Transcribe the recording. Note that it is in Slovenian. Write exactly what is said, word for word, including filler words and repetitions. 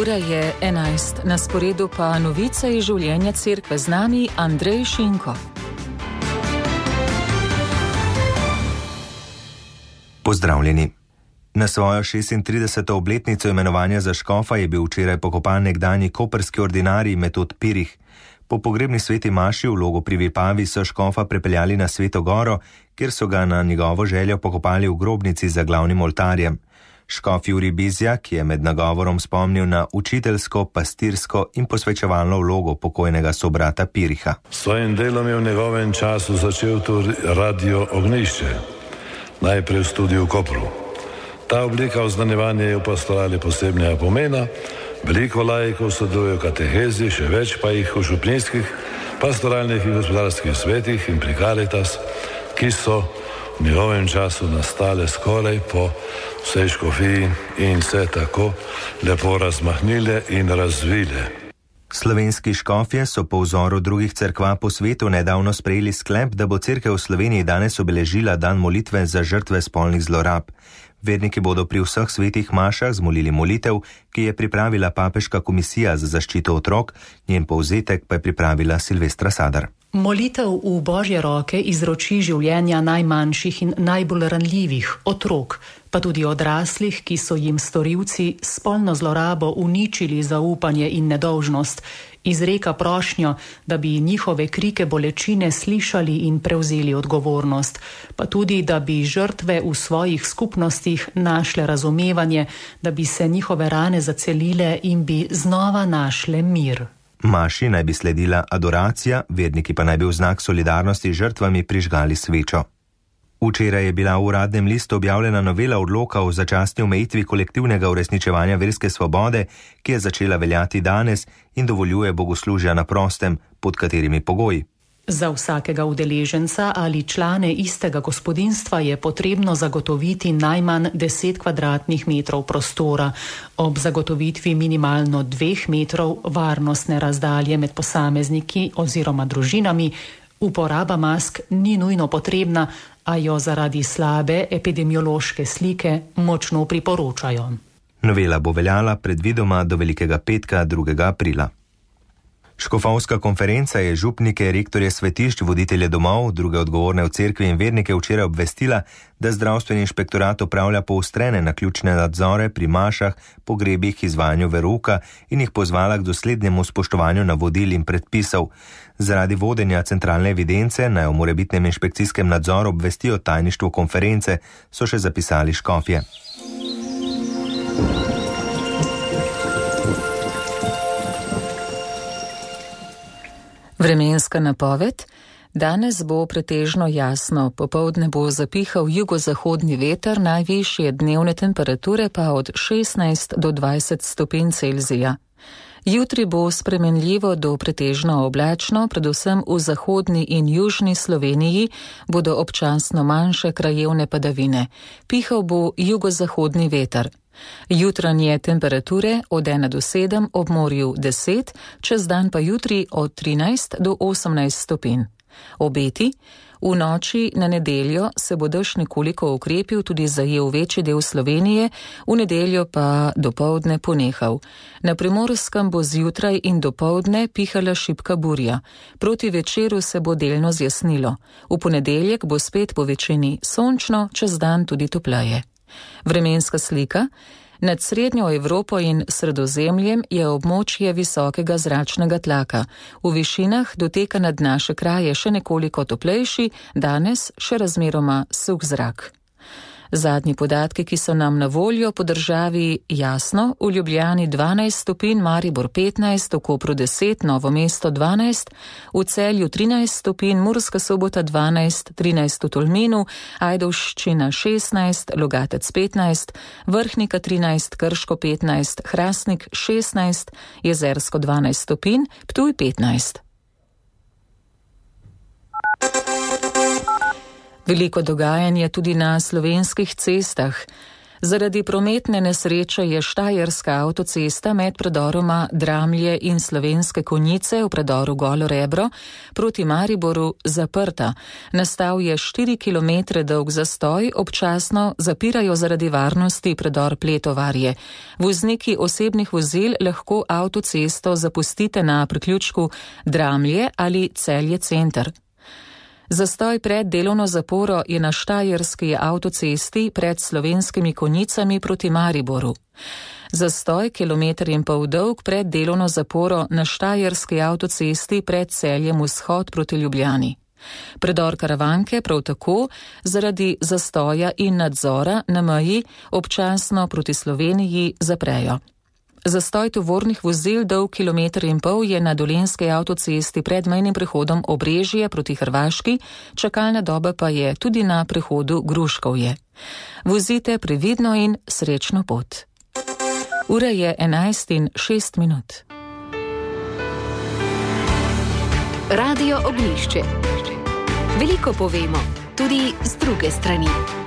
Ura je enajst, na sporedu pa novice iz življenja cerkve, z nami Andrej Šinko. Pozdravljeni. Na svojo šestintrideseto obletnico imenovanja za škofa je bil včeraj pokopan nekdanji koprski ordinarij Metod Pirih. Po pogrebni sveti maši v Logu pri Vipavi so škofa prepeljali na Sveto Goro, kjer so ga na njegovo željo pokopali v grobnici za glavnim oltarjem. Škof Jurij Bizjak je med nagovorom spomnil na učiteljsko, pastirsko in posvečevalno vlogo pokojnega sobrata Piriha. S svojim delom je v njegovem času začel tudi Radio Ognjišče, najprej v studiu v Kopru. Ta oblika oznanjevanja je v pastorali posebnega pomena, veliko laikov sodeluje v katehezi, še več pa jih v župnijskih, pastoralnih in gospodarskih svetih in pri Caritas, ki so v njegovem času nastale skoraj po vsej škofiji in se tako lepo razmahnile in razvile. Slovenski škofje so po vzoru drugih cerkva po svetu nedavno sprejeli sklep, da bo cerkev v Sloveniji danes obeležila dan molitve za žrtve spolnih zlorab. Verniki bodo pri vseh svetih mašah zmolili molitev, ki je pripravila Papeška komisija za zaščito otrok, njen povzetek pa je pripravila Silvestra Sadar. Molitev v Božje roke izroči življenja najmanjših in najbolj ranljivih, otrok, pa tudi odraslih, ki so jim storilci spolno zlorabo uničili zaupanje in nedolžnost, izreka prošnjo, da bi njihove krike bolečine slišali in prevzeli odgovornost, pa tudi, da bi žrtve v svojih skupnostih našle razumevanje, da bi se njihove rane zacelile in bi znova našle mir. Maši naj bi sledila adoracija, verniki pa naj bi v znak solidarnosti z žrtvami prižgali svečo. Včeraj je bila v uradnem listu objavljena novela odloka o začasni omejitvi kolektivnega uresničevanja verske svobode, ki je začela veljati danes in dovoljuje bogoslužja na prostem, pod katerimi pogoji. Za vsakega udeleženca ali člane istega gospodinjstva je potrebno zagotoviti najmanj deset kvadratnih metrov prostora, ob zagotovitvi minimalno dveh metrov varnostne razdalje med posamezniki oziroma družinami. Uporaba mask ni nujno potrebna, a jo zaradi slabe epidemiološke slike močno priporočajo. Novela bo veljala predvidoma do Velikega petka drugega aprila. Škofovska konferenca je župnike, rektorje svetišč, voditelje domov, druge odgovorne v cerkvi in vernike včeraj obvestila, da zdravstveni inšpektorat opravlja poostrene naključne nadzore pri mašah, pogrebih, izvajanju verouka in jih pozvala k doslednjemu spoštovanju navodil in predpisov. Zaradi vodenja centralne evidence naj o morebitnem inšpekcijskem nadzoru obvestijo tajništvo konference, so še zapisali škofje. Vremenska napoved. Danes bo pretežno jasno, popoldne bo zapihal jugozahodni veter, najvišje dnevne temperature pa od šestnajst do dvajset stopinj Celzija. Jutri bo spremenljivo do pretežno oblačno, predvsem v zahodni in južni Sloveniji bodo občasno manjše krajevne padavine. Pihal bo jugozahodni veter. Jutranje temperature od ena do sedem, ob morju deset, čez dan pa jutri od trinajst do osemnajst stopinj. Obeti. V noči na nedeljo se bo dež nekoliko okrepil, tudi zajel večji del Slovenije, v nedeljo pa dopoldne ponehal. Na Primorskem bo zjutraj in dopoldne pihala šibka burja. Proti večeru se bo delno zjasnilo. V ponedeljek bo spet po večini sončno, čez dan tudi topleje. Vremenska slika. Nad srednjo Evropo in Sredozemljem je območje visokega zračnega tlaka. V višinah doteka nad naše kraje še nekoliko toplejši, danes še razmeroma suh zrak. Zadnji podatki, ki so nam na voljo po državi, jasno, v Ljubljani dvanajst stopinj, Maribor petnajst, v Kopru deset, Novo mesto dvanajst, v Celju trinajst stopinj, Murska Sobota dvanajst, trinajst v Tolminu, Ajdovščina šestnajst, Logatec petnajst, Vrhnika trinajst, Krško petnajst, Hrastnik šestnajst, Jezersko dvanajst stopinj, Ptuj petnajst. Veliko dogajanje tudi na slovenskih cestah. Zaradi prometne nesreče je štajerska avtocesta med predoroma Dramlje in Slovenske Konjice v predoru Golo Rebro proti Mariboru zaprta. Nastal je štiri kilometre dolg zastoj, občasno zapirajo zaradi varnosti predor Pletovarje. Vozniki osebnih vozil lahko avtocesto zapustite na priključku Dramlje ali Celje center. Zastoj pred delovno zaporo je na štajerski avtocesti pred Slovenskimi Konjicami proti Mariboru. Zastoj kilometer in pol dolg pred delovno zaporo na štajerski avtocesti pred Celjem vzhod proti Ljubljani. Predor Karavanke prav tako zaradi zastoja in nadzora na meji občasno proti Sloveniji zaprejo. Zastoj tovornih vozil dolg kilometer in pol je na dolenski avtocesti pred mejnim prehodom Obrežje proti Hrvaški, čakalna doba pa je tudi na prehodu Gruškovje. Vozite previdno in srečno pot. Ura je enajst in šest minut. Radio Ognjišče. Veliko povemo, tudi z druge strani.